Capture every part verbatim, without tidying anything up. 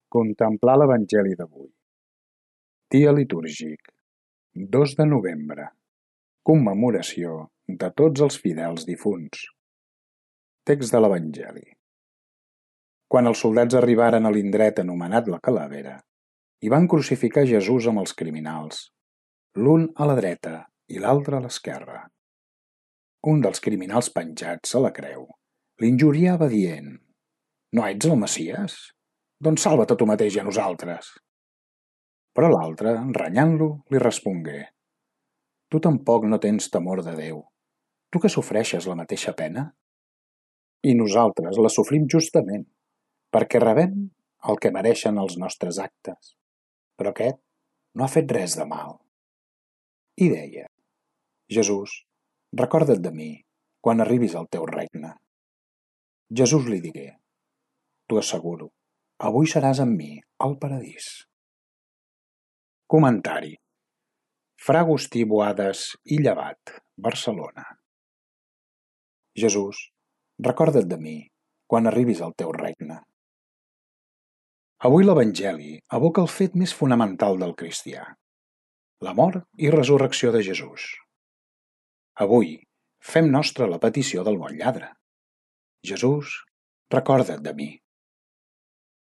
Contemplar l'Evangeli d'avui. Dia litúrgic, dos de novembre. Commemoració de tots els fidels difunts. Text de l'Evangeli. Quan els soldats arribaren a l'indret anomenat la Calavera, hi van crucificar Jesús amb els criminals, l'un a la dreta i l'altre a l'esquerra. Un dels criminals penjats a la creu l'injuriava dient: «No ets el Messies? Doncs salva't a tu mateix i a nosaltres». Però l'altre, renyant-lo, li respongué: «Tu tampoc no tens temor de Déu, tu que sofreixes la mateixa pena? I nosaltres la sofrim justament, perquè rebem el que mereixen els nostres actes, però aquest no ha fet res de mal». I deia: «Jesús, recorda't de mi quan arribis al teu regne». Jesús li digué: «T'ho asseguro, avui seràs amb mi al paradís». Comentari. Fra Agustí Boades i Llevat, Barcelona. Jesús, recorda't de mi quan arribis al teu regne. Avui l'Evangeli evoca el fet més fonamental del cristià, la mort i resurrecció de Jesús. Avui fem nostra la petició del bon lladre. Jesús, recorda't de mi.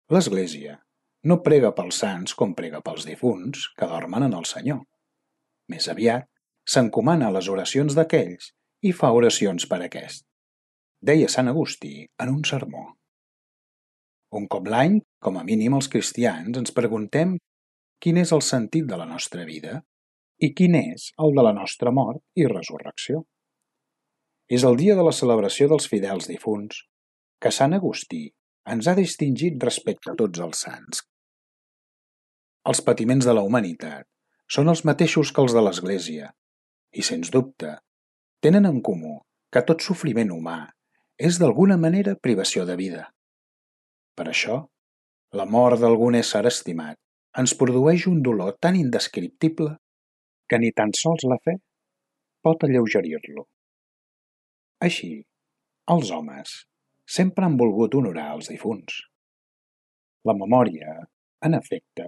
L'Església no prega pels sants com prega pels difunts que dormen en el Senyor. Més aviat, s'encomana a les oracions d'aquells i fa oracions per aquest. Deia Sant Agustí en un sermó. Un cop l'any, com a mínim els cristians, ens preguntem quin és el sentit de la nostra vida i quin és el de la nostra mort i resurrecció. És el dia de la celebració dels fidels difunts que Sant Agustí ens ha distingit respecte a tots els sants. Els patiments de la humanitat són els mateixos que els de l'Església i, sens dubte, tenen en comú que tot sofriment humà és d'alguna manera privació de vida. Per això, la mort d'algun ésser estimat ens produeix un dolor tan indescriptible que ni tan sols la fe pot alleugerir-lo. Així, els homes sempre han volgut honorar els difunts. La memòria, en efecte,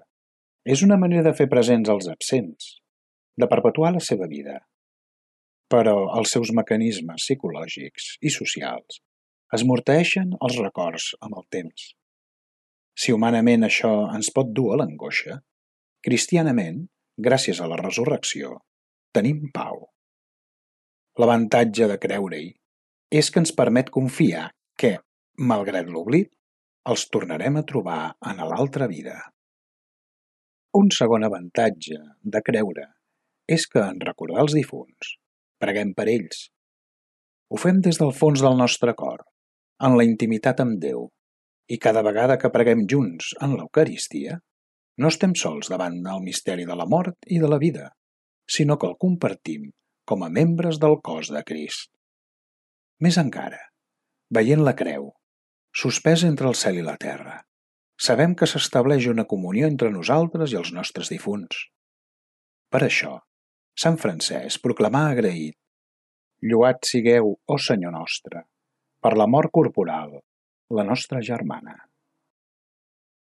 és una manera de fer presents els absents, de perpetuar la seva vida. Però els seus mecanismes psicològics i socials esmorteeixen els records amb el temps. Si humanament això ens pot dur a l'angoixa, cristianament, gràcies a la resurrecció, tenim pau. L'avantatge de creure-hi és que ens permet confiar que, malgrat l'oblit, els tornarem a trobar en l'altra vida. Un segon avantatge de creure és que, en recordar els difunts, preguem per ells. Ho fem des del fons del nostre cor, en la intimitat amb Déu, i cada vegada que preguem junts en l'Eucaristia, no estem sols davant del misteri de la mort i de la vida, sinó que el compartim com a membres del cos de Crist. Més encara, veient la creu, suspesa entre el cel i la terra, sabem que s'estableix una comunió entre nosaltres i els nostres difunts. Per això, Sant Francesc proclamà agraït: «Lloat sigueu, ó Senyor nostre, per la mort corporal, la nostra germana».